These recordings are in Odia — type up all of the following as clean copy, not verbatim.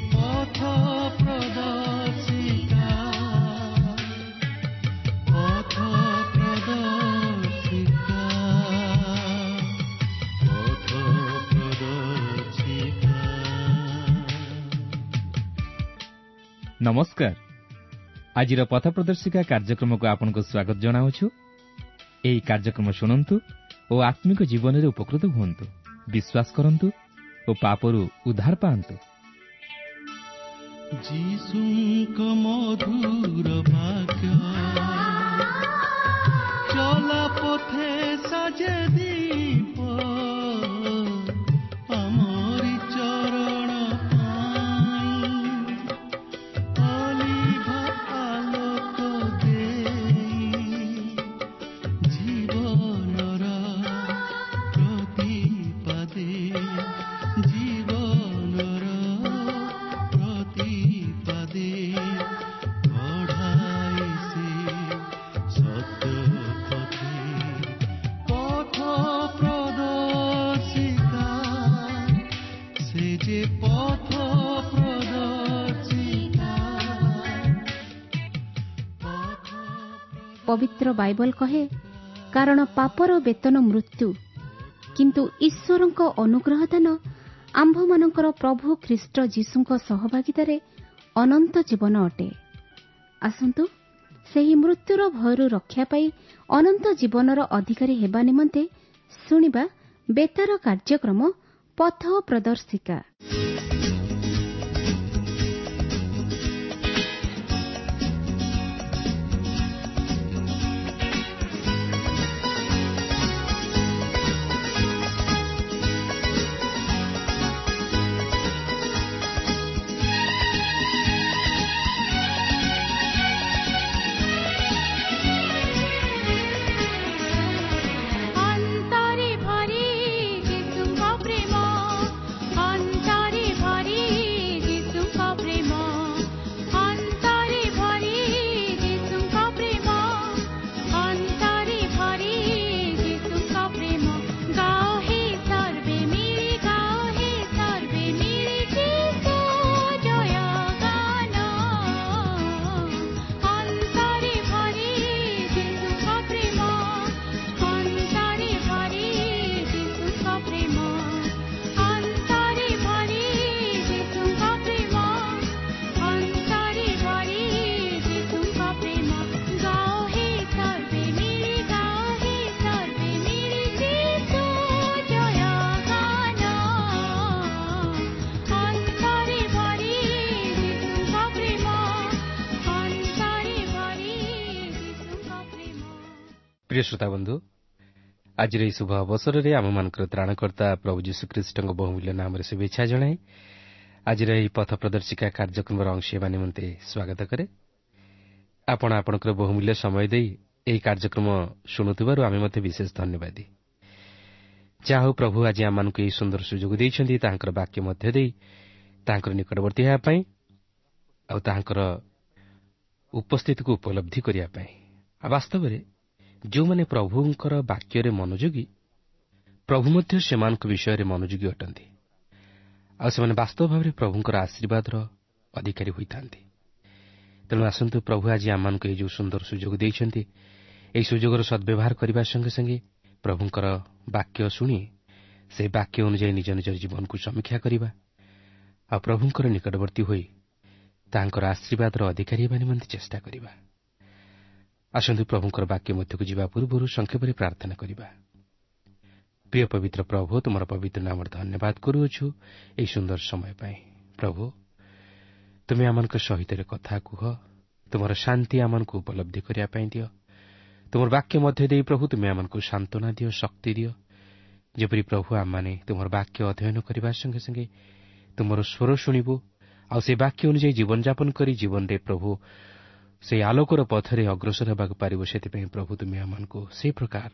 ପଥ ପ୍ରଦର୍ଶିକା, ପଥ ପ୍ରଦର୍ଶିକା, ପଥ ପ୍ରଦର୍ଶିକା। ନମସ୍କାର, ଆଜିର ପଥ ପ୍ରଦର୍ଶିକା କାର୍ଯ୍ୟକ୍ରମକୁ ଆପଣଙ୍କୁ ସ୍ୱାଗତ ଜଣାଉଛୁ। ଏହି କାର୍ଯ୍ୟକ୍ରମ ଶୁଣନ୍ତୁ ଓ ଆତ୍ମିକ ଜୀବନରେ ଉପକୃତ ହୁଅନ୍ତୁ, ବିଶ୍ୱାସ କରନ୍ତୁ ଓ ପାପରୁ ଉଦ୍ଧାର ପାଆନ୍ତୁ। ଯୀଶୁଙ୍କ ମଧୁର ବାକ୍ୟ ଚଲା ପଥେ ସାଜେ ଦୀପ, ଆମରି ଚରଣ ପାଇଁ ଅଲିଭା ଆଲୋକ ଦେଇ, ଜୀବନର ପ୍ରତିପାଦେ, ଜୀବନର ପ୍ରତିପାଦେ କଢ଼ାଇ ସେ ସତ୍ୟ ପଥେ। ପଥ ପ୍ରଦର୍ଶିକା, ସେ ଯେ ପଥ ପ୍ରଦର୍ଶିକା, ପଥ। ପବିତ୍ର ବାଇବଲ କହେ, କାରଣ ପାପର ବେତନ ମୃତ୍ୟୁ, କିନ୍ତୁ ଈଶ୍ୱରଙ୍କ ଅନୁଗ୍ରହ ଦାନ ଆମ୍ଭମାନଙ୍କର ପ୍ରଭୁ ଖ୍ରୀଷ୍ଟ ଯୀଶୁଙ୍କ ସହଭାଗିତାରେ ଅନନ୍ତ ଜୀବନ ଅଟେ। ଆସନ୍ତୁ ସେହି ମୃତ୍ୟୁର ଭୟରୁ ରକ୍ଷା ପାଇ ଅନନ୍ତ ଜୀବନର ଅଧିକାରୀ ହେବା ନିମନ୍ତେ ଶୁଣିବା ବେତାର କାର୍ଯ୍ୟକ୍ରମ ପଥ ପ୍ରଦର୍ଶିକା। ଅନ୍ତରେ ଭରି ଯୀଶୁଙ୍କ ପ୍ରେମ, ଅନ୍ତରେ ଭରି ଯୀଶୁଙ୍କ ପ୍ରେମ, ଅନ୍ତରେ ଭରି ଯୀଶୁଙ୍କ ପ୍ରେମ, ଅନ୍ତରେ ଭରି ଯୀଶୁଙ୍କ ପ୍ରେମ। ଗାଅ ହେ ସର୍ବେ ମିଳି, ଗାଅ ହେ ସର୍ବେ ମିଳି ଯୀଶୁ ଜୟ ଗାନ। ଅନ୍ତରେ ଭରି ଯୀଶୁଙ୍କ ପ୍ରେମ, ଅନ୍ତରେ ଭରି ଯୀଶୁଙ୍କ ପ୍ରେମ, ଅନ୍ତରେ ଭରି ଯୀଶୁଙ୍କ ପ୍ରେମ, ଅନ୍ତରେ ଭରି ଯୀଶୁଙ୍କ ପ୍ରେମ। ଗାଅ ହେ ସର୍ବେ ମିଳି, ଗାଅ ହେ ସର୍ବେ ମିଳି ଯୀଶୁ ଜୟ ଗାନ। ଅନ୍ତରେ ଭରି ଯୀଶୁଙ୍କ ପ୍ରେମ, ଅନ୍ତରେ ଭରି ଯୀଶୁଙ୍କ ପ୍ରେମ। ପ୍ରିୟ ଶ୍ରୋତାବନ୍ଧୁ, ଆଜିର ଏହି ଶୁଭ ଅବସରରେ ଆମମାନଙ୍କର ତ୍ରାଣକର୍ତ୍ତା ପ୍ରଭୁ ଯୀଶୁଖ୍ରୀଷ୍ଟଙ୍କ ବହୁମୂଲ୍ୟ ନାମରେ ଶୁଭେଚ୍ଛା ଜଣାଇ ଆଜିର ଏହି ପଥ ପ୍ରଦର୍ଶିକା କାର୍ଯ୍ୟକ୍ରମର ଅଂଶ ହେବା ନିମନ୍ତେ ସ୍ୱାଗତ କରେ। ଆପଣ ଆପଣଙ୍କର ବହୁମୂଲ୍ୟ ସମୟ ଦେଇ ଏହି କାର୍ଯ୍ୟକ୍ରମ ଶୁଣୁଥିବାରୁ ଆମେ ମଧ୍ୟ ବିଶେଷ ଧନ୍ୟବାଦୀ। ଯାହା ହେଉ, ପ୍ରଭୁ ଆଜି ଆମମାନଙ୍କୁ ଏହି ସୁନ୍ଦର ସୁଯୋଗ ଦେଇଛନ୍ତି ତାହାଙ୍କର ବାକ୍ୟ ମଧ୍ୟ ଦେଇ ତାହାଙ୍କର ନିକଟବର୍ତ୍ତୀ ହେବା ପାଇଁ ଆଉ ତାହାଙ୍କର ଉପସ୍ଥିତିକୁ ଉପଲବ୍ଧି କରିବା ପାଇଁ। ଆଉ ବାସ୍ତବରେ ଯେଉଁମାନେ ପ୍ରଭୁଙ୍କର ବାକ୍ୟରେ ମନୋଯୋଗୀ, ପ୍ରଭୁ ମଧ୍ୟ ସେମାନଙ୍କ ବିଷୟରେ ମନୋଯୋଗୀ ଅଟନ୍ତି ଆଉ ସେମାନେ ବାସ୍ତବ ଭାବରେ ପ୍ରଭୁଙ୍କର ଆଶୀର୍ବାଦର ଅଧିକାରୀ ହୋଇଥାନ୍ତି। ତେଣୁ ଆସନ୍ତୁ, ପ୍ରଭୁ ଆଜି ଆମମାନଙ୍କୁ ଏହି ଯେଉଁ ସୁନ୍ଦର ସୁଯୋଗ ଦେଇଛନ୍ତି, ଏହି ସୁଯୋଗର ସଦ୍ବ୍ୟବହାର କରିବା ସଙ୍ଗେ ସଙ୍ଗେ ପ୍ରଭୁଙ୍କର ବାକ୍ୟ ଶୁଣି ସେହି ବାକ୍ୟ ଅନୁଯାୟୀ ନିଜ ନିଜର ଜୀବନକୁ ସମୀକ୍ଷା କରିବା ଆଉ ପ୍ରଭୁଙ୍କର ନିକଟବର୍ତ୍ତୀ ହୋଇ ତାହାଙ୍କର ଆଶୀର୍ବାଦର ଅଧିକାରୀ ହେବା ନିମନ୍ତେ ଚେଷ୍ଟା କରିବା। ଆସନ୍ତୁ, ପ୍ରଭୁଙ୍କର ବାକ୍ୟ ମଧ୍ୟକୁ ଯିବା ପୂର୍ବରୁ ସଂକ୍ଷେପରେ ପ୍ରାର୍ଥନା କରିବା। ପ୍ରିୟ ପବିତ୍ର ପ୍ରଭୁ, ତୁମର ପବିତ୍ର ନାମରେ ଧନ୍ୟବାଦ କରୁଅଛୁ ଏହି ସୁନ୍ଦର ସମୟ ପାଇଁ। ପ୍ରଭୁ, ତୁମେ ଆମମାନଙ୍କ ସହିତ କଥା କୁହ, ତୁମର ଶାନ୍ତି ଆମମାନଙ୍କୁ ଉପଲବ୍ଧି କରିବା ପାଇଁ ଦିଅ। ତୁମର ବାକ୍ୟ ମଧ୍ୟ ଦେଇ ପ୍ରଭୁ ତୁମେ ଆମମାନଙ୍କୁ ସାନ୍ତ୍ୱନା ଦିଅ, ଶକ୍ତି ଦିଅ, ଯେପରି ପ୍ରଭୁ ଆମମାନେ ତୁମର ବାକ୍ୟ ଅଧ୍ୟୟନ କରିବା ସଙ୍ଗେ ସଙ୍ଗେ ତୁମର ସ୍ୱର ଶୁଣିବୁ ଆଉ ସେ ବାକ୍ୟ ଅନୁଯାୟୀ ଜୀବନଯାପନ କରି ଜୀବନରେ ପ୍ରଭୁ ସେହି ଆଲୋକର ପଥରେ ଅଗ୍ରସର ହେବାକୁ ପାରିବ। ସେଥିପାଇଁ ପ୍ରଭୁ ତୁମେ ଆମମାନଙ୍କୁ ସେହି ପ୍ରକାର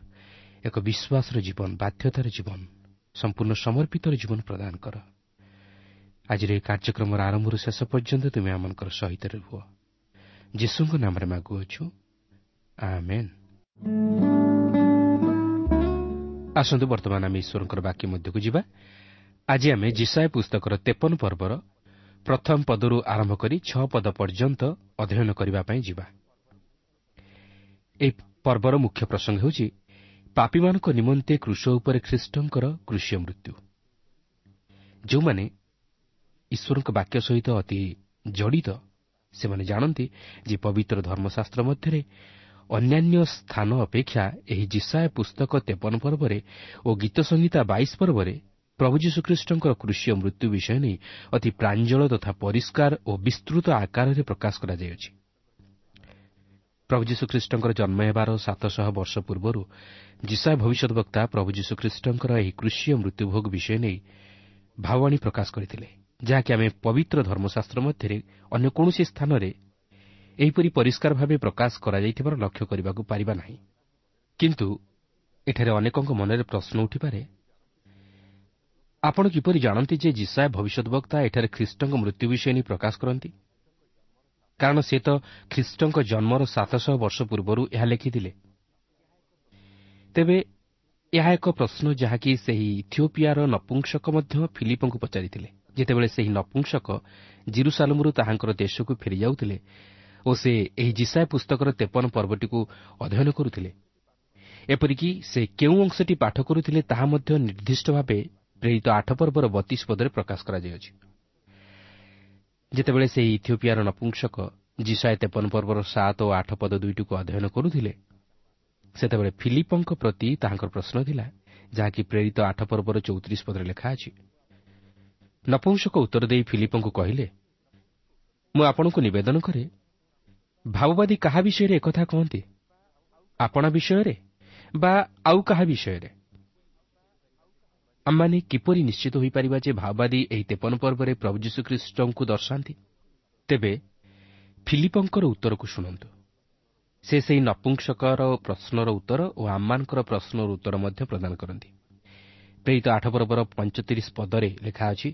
ଏକ ବିଶ୍ୱାସର ଜୀବନ, ବାଧ୍ୟତାର ଜୀବନ, ସମ୍ପୂର୍ଣ୍ଣ ସମର୍ପିତର ଜୀବନ ପ୍ରଦାନ କର। ଆଜିର ଏହି କାର୍ଯ୍ୟକ୍ରମର ଆରମ୍ଭରୁ ଶେଷ ପର୍ଯ୍ୟନ୍ତ ତୁମେ ଆମମାନଙ୍କର ସହିତ ରୁହ। ଯୀଶୁଙ୍କ ନାମରେ ମାଗୁଅଛୁ, ଆମେନ୍। ଆସନ୍ତୁ, ବର୍ତ୍ତମାନ ଆମେ ଈଶ୍ୱରଙ୍କର ବାକ୍ୟ ମଧ୍ୟକୁ ଯିବା। ଆଜି ଆମେ ଯିଶାଇୟ ପୁସ୍ତକର 53 ପର୍ବର ପ୍ରଥମ ପଦରୁ ଆରମ୍ଭ କରି 6 ପଦ ପର୍ଯ୍ୟନ୍ତ ଅଧ୍ୟୟନ କରିବା ପାଇଁ ଯିବା। ଏହି ପର୍ବର ମୁଖ୍ୟ ପ୍ରସଙ୍ଗ ହେଉଛି ପାପୀମାନଙ୍କ ନିମନ୍ତେ କ୍ରୁଶ ଉପରେ ଖ୍ରୀଷ୍ଟଙ୍କର କ୍ରୁଶୀୟ ମୃତ୍ୟୁ। ଯେଉଁମାନେ ଈଶ୍ୱରଙ୍କ ବାକ୍ୟ ସହିତ ଅତି ଜଡ଼ିତ, ସେମାନେ ଜାଣନ୍ତି ଯେ ପବିତ୍ର ଧର୍ମଶାସ୍ତ୍ର ମଧ୍ୟରେ ଅନ୍ୟାନ୍ୟ ସ୍ଥାନ ଅପେକ୍ଷା ଏହି ଯିଶାଇୟ ପୁସ୍ତକ 53 ପର୍ବରେ ଓ ଗୀତସଂହିତା 22 ପର୍ବରେ ପ୍ରଭୁ ଯୀଶୁଖ୍ରୀଷ୍ଟଙ୍କର କ୍ରୁଶୀୟ ମୃତ୍ୟୁ ବିଷୟ ନେଇ ଅତି ପ୍ରାଞ୍ଜଳ ତଥା ପରିଷ୍କାର ଓ ବିସ୍ତୃତ ଆକାରରେ ପ୍ରକାଶ କରାଯାଇଅଛି। ପ୍ରଭୁ ଯୀଶୁଖ୍ରୀଷ୍ଟଙ୍କର ଜନ୍ମ ହେବାର 700 ବର୍ଷ ପୂର୍ବରୁ ଯିଶାଇୟ ଭବିଷ୍ୟଦ୍‌ବକ୍ତା ପ୍ରଭୁ ଯୀଶୁଖ୍ରୀଷ୍ଟଙ୍କର ଏହି କ୍ରୁଶୀୟ ମୃତ୍ୟୁଭୋଗ ବିଷୟ ନେଇ ଭାବବାଣୀ ପ୍ରକାଶ କରିଥିଲେ, ଯାହାକି ଆମେ ପବିତ୍ର ଧର୍ମଶାସ୍ତ୍ର ମଧ୍ୟରେ ଅନ୍ୟ କୌଣସି ସ୍ଥାନରେ ଏହିପରି ପରିଷ୍କାର ଭାବେ ପ୍ରକାଶ କରାଯାଇଥିବାର ଲକ୍ଷ୍ୟ କରିବାକୁ ପାରିବା ନାହିଁ। କିନ୍ତୁ ଏଠାରେ ଅନେକଙ୍କ ମନରେ ପ୍ରଶ୍ନ ଉଠିପାରେ, ଆପଣ କିପରି ଜାଣନ୍ତି ଯେ ଯିଶାଇୟ ଭବିଷ୍ୟଦ୍‌ବକ୍ତା ଏଠାରେ ଖ୍ରୀଷ୍ଟଙ୍କ ମୃତ୍ୟୁ ବିଷୟ ନେଇ ପ୍ରକାଶ କରନ୍ତି? କାରଣ ସେ ତ ଖ୍ରୀଷ୍ଟଙ୍କ ଜନ୍ମର 700 ବର୍ଷ ପୂର୍ବରୁ ଏହା ଲେଖିଥିଲେ। ତେବେ ଏହା ଏକ ପ୍ରଶ୍ନ ଯାହାକି ସେହି ଇଥିଓପିଆର ନପୁଂସକ ମଧ୍ୟ ଫିଲିପଙ୍କୁ ପଚାରିଥିଲେ, ଯେତେବେଳେ ସେହି ନପୁଂସକ ଜିରୁସାଲମରୁ ତାହାଙ୍କର ଦେଶକୁ ଫେରିଯାଉଥିଲେ ଓ ସେ ଏହି ଯିଶାଇୟ ପୁସ୍ତକର 53 ପର୍ବଟିକୁ ଅଧ୍ୟୟନ କରୁଥିଲେ। ଏପରିକି ସେ କେଉଁ ଅଂଶଟି ପାଠ କରୁଥିଲେ ତାହା ମଧ୍ୟ ନିର୍ଦ୍ଦିଷ୍ଟ ଭାବେ ପ୍ରେରିତ 8 ପର୍ବର 32 ପଦରେ ପ୍ରକାଶ କରାଯାଇଅଛି। ଯେତେବେଳେ ସେହି ଇଥିଓପିଆର ନପୁଂସକ ଯିଶାଇୟ 53 ପର୍ବର 7 ଓ 8 ପଦ ଦୁଇଟିକୁ ଅଧ୍ୟୟନ କରୁଥିଲେ, ସେତେବେଳେ ଫିଲିପଙ୍କ ପ୍ରତି ତାହାଙ୍କର ପ୍ରଶ୍ନ ଥିଲା, ଯାହାକି ପ୍ରେରିତ 8 ପର୍ବର 34 ପଦରେ ଲେଖା ଅଛି। ନପୁଂସକ ଉତ୍ତର ଦେଇ ଫିଲିପଙ୍କୁ କହିଲେ, ମୁଁ ଆପଣଙ୍କୁ ନିବେଦନ କରେ, ଭାବବାଦୀ କାହା ବିଷୟରେ ଏକଥା କହନ୍ତି, ଆପଣା ବିଷୟରେ ବା ଆଉ କାହା ବିଷୟରେ? ଆମମାନେ କିପରି ନିଶ୍ଚିତ ହୋଇପାରିବା ଯେ ଭାବବାଦୀ ଏହି 53 ପର୍ବରେ ପ୍ରଭୁ ଯୀଶୁଖ୍ରୀଷ୍ଟଙ୍କୁ ଦର୍ଶାନ୍ତି? ତେବେ ଫିଲିପଙ୍କର ଉତ୍ତରକୁ ଶୁଣନ୍ତୁ। ସେ ସେହି ନପୁଂସକର ପ୍ରଶ୍ନର ଉତ୍ତର ଓ ଆମମାନଙ୍କର ପ୍ରଶ୍ନର ଉତ୍ତର ମଧ୍ୟ ପ୍ରଦାନ କରନ୍ତି। ପ୍ରେରିତ 8 ପର୍ବର 35 ପଦରେ ଲେଖା ଅଛି,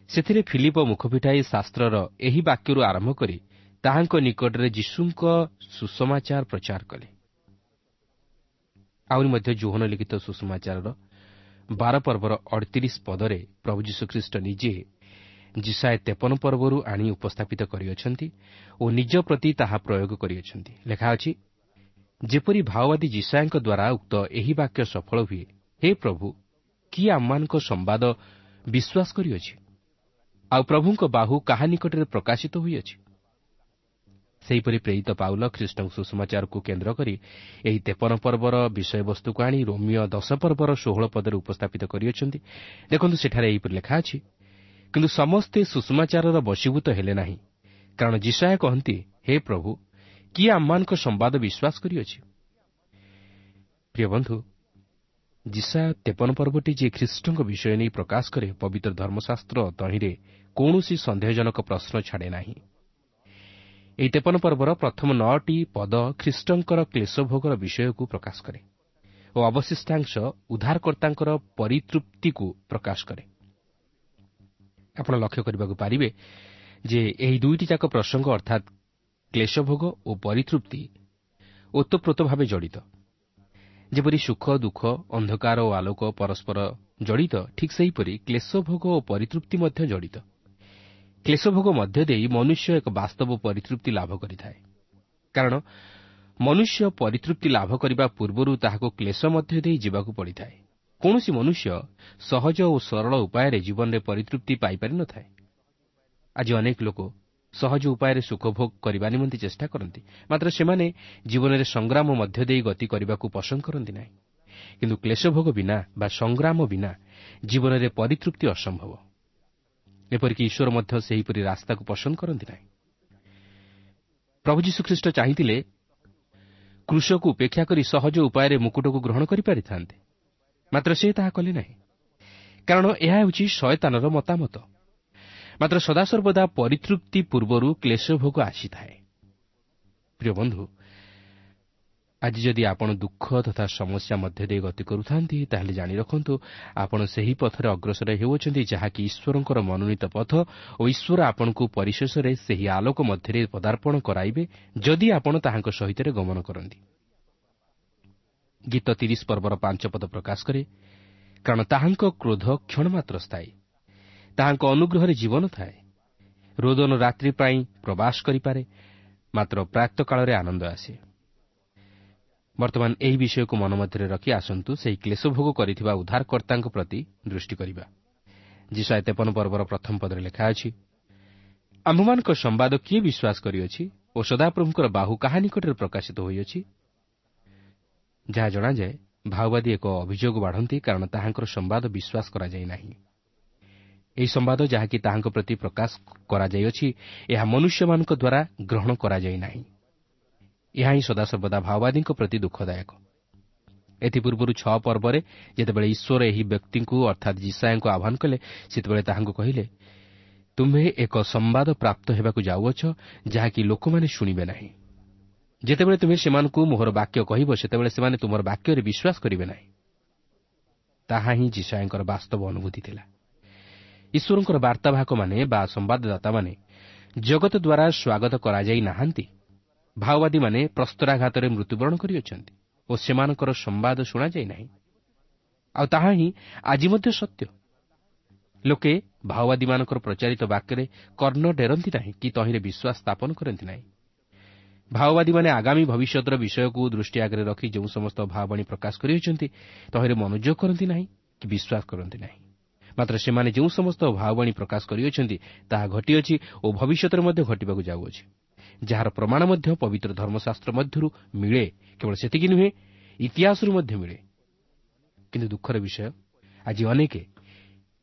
ସେଥିରେ ଫିଲିପ ମୁଖ ଫିଟାଇ ଶାସ୍ତ୍ରର ଏହି ବାକ୍ୟରୁ ଆରମ୍ଭ କରି ତାହାଙ୍କ ନିକଟରେ ଯୀଶୁଙ୍କ ସୁସମାଚାର ପ୍ରଚାର କଲେ। ଆହୁରି ମଧ୍ୟ ଯୋହନ ଲିଖିତ ସୁସମାଚାରର 12 ପର୍ବର 38 ପଦରେ ପ୍ରଭୁ ଯୀଶୁଖ୍ରୀଷ୍ଟ ନିଜେ ଯିଶାଇୟ 53 ପର୍ବରୁ ଆଣି ଉପସ୍ଥାପିତ କରିଅଛନ୍ତି ଓ ନିଜ ପ୍ରତି ତାହା ପ୍ରୟୋଗ କରିଅଛନ୍ତି। ଲେଖା ଅଛି, ଯେପରି ଭାଓବାଦୀ ଯିଶାଇୟଙ୍କ ଦ୍ୱାରା ଉକ୍ତ ଏହି ବାକ୍ୟ ସଫଳ ହୁଏ, ହେ ପ୍ରଭୁ, କିଏ ଆମମାନଙ୍କ ସମ୍ବାଦ ବିଶ୍ୱାସ କରିଅଛି? ଆଉ ପ୍ରଭୁଙ୍କ ବାହୁ କାହା ନିକଟରେ ପ୍ରକାଶିତ ହୋଇଅଛି? ସେହିପରି ପ୍ରେରିତ ପାଉଲ ଖ୍ରୀଷ୍ଟଙ୍କ ସୁସମାଚାରକୁ କେନ୍ଦ୍ର କରି ଏହି 53 ପର୍ବର ବିଷୟବସ୍ତୁକୁ ଆଣି ରୋମୀୟ 10 ପର୍ବର 16 ପଦରେ ଉପସ୍ଥାପିତ କରିଅଛନ୍ତି। ଦେଖନ୍ତୁ, ସେଠାରେ ଏହିପରି ଲେଖା ଅଛି, କିନ୍ତୁ ସମସ୍ତେ ସୁସମାଚାରର ବଶୀଭୂତ ହେଲେ ନାହିଁ, କାରଣ ଯିଶାଇୟ କହନ୍ତି, ହେ ପ୍ରଭୁ, କିଏ ଆମମାନଙ୍କ ସମ୍ବାଦ ବିଶ୍ୱାସ କରିଅଛି? ପ୍ରିୟ ବନ୍ଧୁ, ଯିଶାଇୟ 53 ପର୍ବଟି ଯେ ଖ୍ରୀଷ୍ଟଙ୍କ ବିଷୟ ନେଇ ପ୍ରକାଶ କରେ, ପବିତ୍ର ଧର୍ମଶାସ୍ତ୍ର ତହିଁରେ କୌଣସି ସନ୍ଦେହଜନକ ପ୍ରଶ୍ନ ଛାଡ଼େ ନାହିଁ। ଏହି 53 ପର୍ବର ପ୍ରଥମ 9ଟି ପଦ ଖ୍ରୀଷ୍ଟଙ୍କର କ୍ଲେଶଭୋଗର ବିଷୟକୁ ପ୍ରକାଶ କରେ ଓ ଅବଶିଷ୍ଟାଂଶ ଉଦ୍ଧାରକର୍ତ୍ତାଙ୍କର ପରିତୃପ୍ତିକୁ ପ୍ରକାଶ କରେ। ଆପଣ ଲକ୍ଷ୍ୟ କରିବାକୁ ପାରିବେ ଯେ ଏହି ଦୁଇଟି ଯାକ ପ୍ରସଙ୍ଗ ଅର୍ଥାତ୍ କ୍ଲେଶଭୋଗ ଓ ପରିତୃପ୍ତି ଓତପ୍ରୋତ ଭାବେ ଜଡ଼ିତ। ଯେପରି ସୁଖ ଦୁଃଖ, ଅନ୍ଧକାର ଓ ଆଲୋକ ପରସ୍ପର ଜଡ଼ିତ, ଠିକ୍ ସେହିପରି କ୍ଲେଶଭୋଗ ଓ ପରିତୃପ୍ତି ମଧ୍ୟ ଜଡ଼ିତ। କ୍ଲେଶଭୋଗ ମଧ୍ୟ ଦେଇ ମନୁଷ୍ୟ ଏକ ବାସ୍ତବ ପରିତୃପ୍ତି ଲାଭ କରିଥାଏ, କାରଣ ମନୁଷ୍ୟ ପରିତୃପ୍ତି ଲାଭ କରିବା ପୂର୍ବରୁ ତାହାକୁ କ୍ଲେଶ ମଧ୍ୟ ଦେଇ ଯିବାକୁ ପଡ଼ିଥାଏ। କୌଣସି ମନୁଷ୍ୟ ସହଜ ଓ ସରଳ ଉପାୟରେ ଜୀବନରେ ପରିତୃପ୍ତି ପାଇପାରିନଥାଏ। ଆଜି ଅନେକ ଲୋକ ସହଜ ଉପାୟରେ ସୁଖଭୋଗ କରିବା ନିମନ୍ତେ ଚେଷ୍ଟା କରନ୍ତି, ମାତ୍ର ସେମାନେ ଜୀବନରେ ସଂଗ୍ରାମ ମଧ୍ୟ ଦେଇ ଗତି କରିବାକୁ ପସନ୍ଦ କରନ୍ତି ନାହିଁ। କିନ୍ତୁ କ୍ଲେଶଭୋଗ ବିନା ବା ସଂଗ୍ରାମ ବିନା ଜୀବନରେ ପରିତୃପ୍ତି ଅସମ୍ଭବ। ଏପରିକି ଈଶ୍ୱର ମଧ୍ୟ ସେହିପରି ରାସ୍ତାକୁ ପସନ୍ଦ କରନ୍ତି ନାହିଁ। ପ୍ରଭୁ ଯୀଶୁଖ୍ରୀଷ୍ଟ ଚାହିଁଥିଲେ କୃଷକୁ ଉପେକ୍ଷା କରି ସହଜ ଉପାୟରେ ମୁକୁଟକୁ ଗ୍ରହଣ କରିପାରିଥାନ୍ତେ, ମାତ୍ର ସେ ତାହା କଲେ ନାହିଁ, କାରଣ ଏହା ହେଉଛି ଶୟତାନର ମତାମତ। ମାତ୍ର ସଦାସର୍ବଦା ପରିତୃପ୍ତି ପୂର୍ବରୁ କ୍ଲେଶଭୋଗ ଆସିଥାଏ। ପ୍ରିୟ ବନ୍ଧୁ, ଆଜି ଯଦି ଆପଣ ଦୁଃଖ ତଥା ସମସ୍ୟା ମଧ୍ୟ ଦେଇ ଗତି କରୁଥାନ୍ତି, ତାହେଲେ ଜାଣି ରଖନ୍ତୁ ଆପଣ ସେହି ପଥରେ ଅଗ୍ରସର ହେଉଅଛନ୍ତି ଯାହାକି ଈଶ୍ୱରଙ୍କର ମନୋନୀତ ପଥ, ଓ ଈଶ୍ୱର ଆପଣଙ୍କୁ ପରିଶେଷରେ ସେହି ଆଲୋକ ମଧ୍ୟରେ ପଦାର୍ପଣ କରାଇବେ ଯଦି ଆପଣ ତାହାଙ୍କ ସହିତ ଗମନ କରନ୍ତି। ଗୀତ 30 ପର୍ବର 5 ପଦ ପ୍ରକାଶ କରେ, କାରଣ ତାହାଙ୍କ କ୍ରୋଧ କ୍ଷଣମାତ୍ର ସ୍ଥାୟୀ, ତାହାଙ୍କ ଅନୁଗ୍ରହରେ ଜୀବନ ଥାଏ। ରୋଦନ ରାତ୍ରି ପାଇଁ ପ୍ରବାସ କରିପାରେ, ମାତ୍ର ପ୍ରାତଃକାଳରେ ଆନନ୍ଦ ଆସେ। ବର୍ତ୍ତମାନ ଏହି ବିଷୟକୁ ମନ ମଧ୍ୟରେ ରଖି ଆସନ୍ତୁ ସେହି କ୍ଲେଶଭୋଗ କରିଥିବା ଉଦ୍ଧାରକର୍ତ୍ତାଙ୍କ ପ୍ରତି ଦୃଷ୍ଟି କରିବା। ଯିଶାଇୟ 53 ପର୍ବର ପ୍ରଥମ ପଦରେ ଲେଖା ଅଛି, ଆମ୍ଭମାନଙ୍କ ସମ୍ବାଦ କିଏ ବିଶ୍ୱାସ କରିଅଛି ଓ ସଦାପ୍ରଭୁଙ୍କର ବାହୁ କାହା ନିକଟରେ ପ୍ରକାଶିତ ହୋଇଅଛି? ଯାହା ଜଣାଯାଏ, ଭାଓବାଦୀ ଏକ ଅଭିଯୋଗ ବାଢ଼ନ୍ତି, କାରଣ ତାହାଙ୍କର ସମ୍ବାଦ ବିଶ୍ୱାସ କରାଯାଇ ନାହିଁ। ଏହି ସମ୍ବାଦ ଯାହାକି ତାହାଙ୍କ ପ୍ରତି ପ୍ରକାଶ କରାଯାଇଅଛି, ଏହା ମନୁଷ୍ୟମାନଙ୍କ ଦ୍ୱାରା ଗ୍ରହଣ କରାଯାଇ ନାହିଁ। ଏହା ହିଁ ସଦାସର୍ବଦା ଭାଓବାଦୀଙ୍କ ପ୍ରତି ଦୁଃଖଦାୟକ। ଏଥିପୂର୍ବରୁ 6 ପର୍ବରେ ଯେତେବେଳେ ଈଶ୍ୱର ଏହି ବ୍ୟକ୍ତିଙ୍କୁ ଅର୍ଥାତ୍ ଯିଶାଇୟଙ୍କୁ ଆହ୍ୱାନ କଲେ, ସେତେବେଳେ ତାହାଙ୍କୁ କହିଲେ, ତୁମ୍ଭେ ଏକ ସମ୍ବାଦ ପ୍ରାପ୍ତ ହେବାକୁ ଯାଉଅଛ, ଯାହାକି ଲୋକମାନେ ଶୁଣିବେ ନାହିଁ। ଯେତେବେଳେ ତୁମେ ସେମାନଙ୍କୁ ମୋହର ବାକ୍ୟ କହିବ, ସେତେବେଳେ ସେମାନେ ତୁମର ବାକ୍ୟରେ ବିଶ୍ୱାସ କରିବେ ନାହିଁ। ତାହା ହିଁ ଯିଶାଇୟଙ୍କର ବାସ୍ତବ ଅନୁଭୂତି ଥିଲା। ଈଶ୍ୱରଙ୍କର ବାର୍ତ୍ତାବାହକମାନେ ବା ସମ୍ବାଦଦାତାମାନେ ଜଗତ ଦ୍ୱାରା ସ୍ୱାଗତ କରାଯାଇ ନାହାନ୍ତି। ଭାଓବାଦୀମାନେ ପ୍ରସ୍ତରାଘାତରେ ମୃତ୍ୟୁବରଣ କରିଅଛନ୍ତି ଓ ସେମାନଙ୍କର ସମ୍ବାଦ ଶୁଣାଯାଇ ନାହିଁ। ଆଉ ତାହା ହିଁ ଆଜି ମଧ୍ୟ ସତ୍ୟ। ଲୋକେ ଭାଓବାଦୀମାନଙ୍କର ପ୍ରଚାରିତ ବାକ୍ୟରେ କର୍ଣ୍ଣ ଡେରନ୍ତି ନାହିଁ କି ତହିଁରେ ବିଶ୍ୱାସ ସ୍ଥାପନ କରନ୍ତି ନାହିଁ। ଭାଓବାଦୀମାନେ ଆଗାମୀ ଭବିଷ୍ୟତର ବିଷୟକୁ ଦୃଷ୍ଟି ଆଗରେ ରଖି ଯେଉଁ ସମସ୍ତ ଭାବବାଣୀ ପ୍ରକାଶ କରିଅଛନ୍ତି, ତହିଁରେ ମନୋଯୋଗ କରନ୍ତି ନାହିଁ କି ବିଶ୍ୱାସ କରନ୍ତି ନାହିଁ। ମାତ୍ର ସେମାନେ ଯେଉଁ ସମସ୍ତ ଭାବବାଣୀ ପ୍ରକାଶ କରିଅଛନ୍ତି, ତାହା ଘଟିଅଛି ଓ ଭବିଷ୍ୟତରେ ମଧ୍ୟ ଘଟିବାକୁ ଯାଉଅଛି, ଯାହାର ପ୍ରମାଣ ମଧ୍ୟ ପବିତ୍ର ଧର୍ମଶାସ୍ତ୍ର ମଧ୍ୟରୁ ମିଳେ। କେବଳ ସେତିକି ନୁହେଁ, ଇତିହାସରୁ ମଧ୍ୟ ମିଳେ। କିନ୍ତୁ ଦୁଃଖର ବିଷୟ, ଆଜି ଅନେକ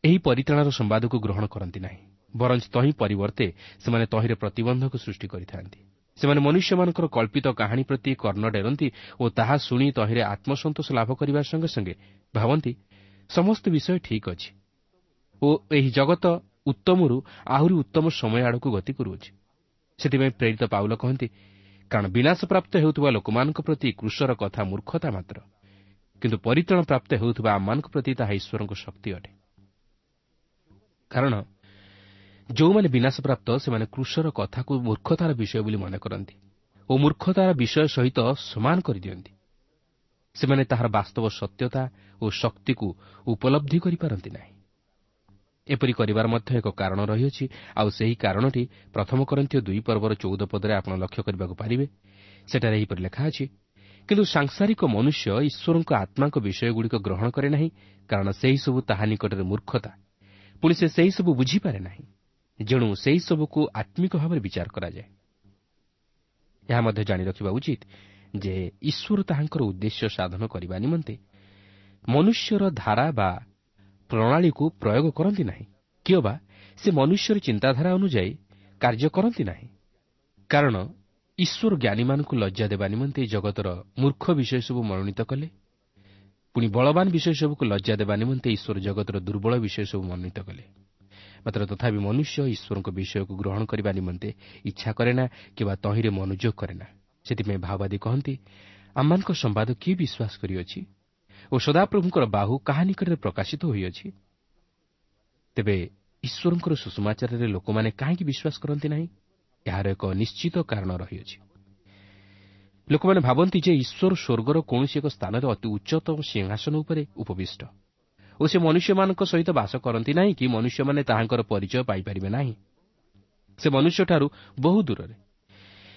ଏହି ପରିତ୍ରାଣର ସମ୍ବାଦକୁ ଗ୍ରହଣ କରନ୍ତି ନାହିଁ, ବରଞ୍ଚ ତହିଁ ପରିବର୍ତ୍ତେ ସେମାନେ ତହିଁରେ ପ୍ରତିବନ୍ଧକ ସୃଷ୍ଟି କରିଥାନ୍ତି। ସେମାନେ ମନୁଷ୍ୟମାନଙ୍କର କଳ୍ପିତ କାହାଣୀ ପ୍ରତି କର୍ଣ୍ଣ ଡେରନ୍ତି ଓ ତାହା ଶୁଣି ତହିଁରେ ଆତ୍ମସନ୍ତୋଷ ଲାଭ କରିବା ସଙ୍ଗେ ସଙ୍ଗେ ଭାବନ୍ତି ସମସ୍ତ ବିଷୟ ଠିକ୍ ଅଛି ଓ ଏହି ଜଗତ ଉତ୍ତମରୁ ଆହୁରି ଉତ୍ତମ ସମୟ ଆଡ଼କୁ ଗତି କରୁଅଛି। ସେଥିପାଇଁ ପ୍ରେରିତ ପାଉଲ କହନ୍ତି, କାରଣ ବିନାଶପ୍ରାପ୍ତ ହେଉଥିବା ଲୋକମାନଙ୍କ ପ୍ରତି କ୍ରୁଶର କଥା ମୂର୍ଖତା ମାତ୍ର, କିନ୍ତୁ ପରିତ୍ରାଣ ପ୍ରାପ୍ତ ହେଉଥିବା ଆମମାନଙ୍କ ପ୍ରତି ତାହା ଈଶ୍ୱରଙ୍କ ଶକ୍ତି ଅଟେ। କାରଣ ଯେଉଁମାନେ ବିନାଶପ୍ରାପ୍ତ, ସେମାନେ କ୍ରୁଶର କଥାକୁ ମୂର୍ଖତାର ବିଷୟ ବୋଲି ମନେ କରନ୍ତି ଓ ମୂର୍ଖତାର ବିଷୟ ସହିତ ସମାନ କରିଦିଅନ୍ତି। ସେମାନେ ତାହାର ବାସ୍ତବ ସତ୍ୟତା ଓ ଶକ୍ତିକୁ ଉପଲବ୍ଧି କରିପାରନ୍ତି ନାହିଁ। ଏପରି କରିବାର ମଧ୍ୟ ଏକ କାରଣ ରହିଅଛି, ଆଉ ସେହି କାରଣଟି ପ୍ରଥମ କରିନ୍ଥୀୟ 2 ପର୍ବର 14 ପଦରେ ଆପଣ ଲକ୍ଷ୍ୟ କରିବାକୁ ପାରିବେ। ସେଠାରେ ଏହିପରି ଲେଖା ଅଛି, କିନ୍ତୁ ସାଂସାରିକ ମନୁଷ୍ୟ ଈଶ୍ୱରଙ୍କ ଆତ୍ମାଙ୍କ ବିଷୟଗୁଡ଼ିକ ଗ୍ରହଣ କରେ ନାହିଁ, କାରଣ ସେହିସବୁ ତାହା ନିକଟରେ ମୂର୍ଖତା, ପୁଣି ସେ ସେହିସବୁ ବୁଝିପାରେ ନାହିଁ। ଯେଣୁ ସେହିସବୁକୁ ଆତ୍ମିକ ଭାବରେ ବିଚାର କରାଯାଏ। ଏହା ମଧ୍ୟ ଜାଣି ରଖିବା ଉଚିତ ଯେ ଈଶ୍ୱର ତାହାଙ୍କର ଉଦ୍ଦେଶ୍ୟ ସାଧନ କରିବା ନିମନ୍ତେ ମନୁଷ୍ୟର ଧାରା ବା ପ୍ରଣାଳୀକୁ ପ୍ରୟୋଗ କରନ୍ତି ନାହିଁ, କିଅବା ସେ ମନୁଷ୍ୟର ଚିନ୍ତାଧାରା ଅନୁଯାୟୀ କାର୍ଯ୍ୟ କରନ୍ତି ନାହିଁ। କାରଣ ଈଶ୍ୱର ଜ୍ଞାନୀମାନଙ୍କୁ ଲଜ୍ଜା ଦେବା ନିମନ୍ତେ ଜଗତର ମୂର୍ଖ ବିଷୟ ସବୁ ମନୋନୀତ କଲେ, ପୁଣି ବଳବାନ ବିଷୟ ସବୁକୁ ଲଜ୍ଜା ଦେବା ନିମନ୍ତେ ଈଶ୍ୱର ଜଗତର ଦୁର୍ବଳ ବିଷୟ ସବୁ ମନୋନୀତ କଲେ। ମାତ୍ର ତଥାପି ମନୁଷ୍ୟ ଈଶ୍ୱରଙ୍କ ବିଷୟକୁ ଗ୍ରହଣ କରିବା ନିମନ୍ତେ ଇଚ୍ଛା କରେ ନା କିମ୍ବା ତହିଁରେ ମନୋଯୋଗ କରେ ନା। ସେଥିପାଇଁ ଭାଓବାଦୀ କହନ୍ତି, ଆମମାନଙ୍କ ସମ୍ବାଦ କିଏ ବିଶ୍ୱାସ କରିଅଛି ଓ ସଦାପ୍ରଭୁଙ୍କର ବାହୁ କାହା ନିକଟରେ ପ୍ରକାଶିତ ହୋଇଅଛି? ତେବେ ଈଶ୍ୱରଙ୍କର ସୁସମାଚାରରେ ଲୋକମାନେ କାହିଁକି ବିଶ୍ୱାସ କରନ୍ତି ନାହିଁ? ଏହାର ଏକ ନିଶ୍ଚିତ କାରଣ ରହିଅଛି। ଲୋକମାନେ ଭାବନ୍ତି ଯେ ଈଶ୍ୱର ସ୍ୱର୍ଗର କୌଣସି ଏକ ସ୍ଥାନରେ ଅତି ଉଚ୍ଚତମ ସିଂହାସନ ଉପରେ ଉପବିଷ୍ଟ ଓ ସେ ମନୁଷ୍ୟମାନଙ୍କ ସହିତ ବାସ କରନ୍ତି ନାହିଁ କି ମନୁଷ୍ୟମାନେ ତାହାଙ୍କର ପରିଚୟ ପାଇପାରିବେ ନାହିଁ। ସେ ମନୁଷ୍ୟଠାରୁ ବହୁ ଦୂରରେ।